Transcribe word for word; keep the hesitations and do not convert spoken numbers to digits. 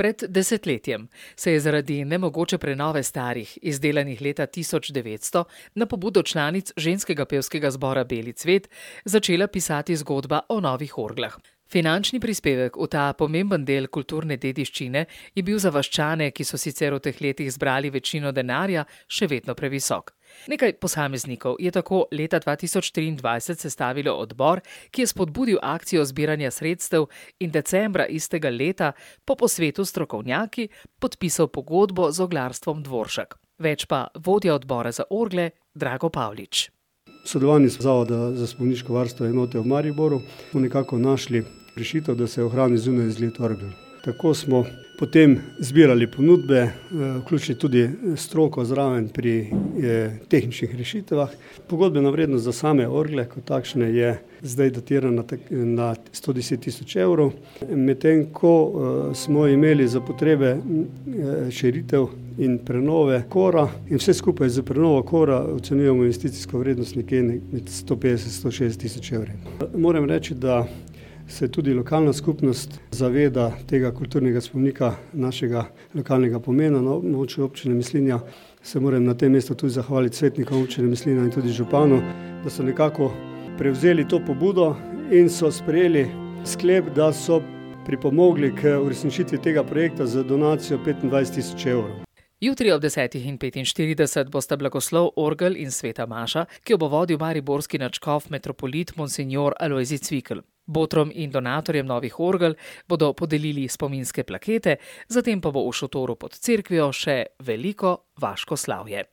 Pred desetletjem se je zaradi nemogoče prenove starih, izdelanih leta tisoč devetsto, na pobudo članic ženskega pevskega zbora Beli cvet začela pisati zgodba o novih orglah. Finančni prispevek v ta pomemben del kulturne dediščine je bil za vaščane, ki so sicer v teh letih zbrali večino denarja, še vedno previsok. Nekaj posameznikov je tako leta dva tisoč triindvajset sestavilo odbor, ki je spodbudil akcijo zbiranja sredstev in decembra istega leta po posvetu s strokovnjaki podpisal pogodbo z oglarstvom Dvoršak. Več pa vodja odbora za orgle Drago Pavlič. V sodelovanju z Zavoda za spomeniško varstvo enote v Mariboru smo nekako našli rešitev, da se ohrani zunaj izgled orgel. Tako smo potem zbirali ponudbe, vključili tudi stroko zraven pri tehničnih rešitvah. Pogodbena vrednost za same orgle kot takšne je zdaj datirana na sto deset tisoč evrov, medtem ko smo imeli za potrebe širitev in prenove kora in vse skupaj za prenovo kora ocenjujemo investicijsko vrednost nekje med sto petdeset do sto šestdeset tisoč evri. Moram reči, da se tudi lokalna skupnost zaveda tega kulturnega spomenika našega lokalnega pomena na območju občine Mislinja. Se moram na tem mestu tudi zahvaliti svetnikom občine Mislinja in tudi županu, da so nekako prevzeli to pobudo in so sprejeli sklep, da so pripomogli k uresničitvi tega projekta z donacijo petindvajset tisoč evrov. Jutri ob desetih in petinštirideset bosta blagoslov orgel in sveta maša, ki jo bo vodil mariborski nadškof metropolit monsinjor Alojzij Cvikl. Botrom in donatorjem novih orgel bodo podelili spominske plakete, zatem pa bo v šotoru pod cerkvijo še veliko vaško slavje.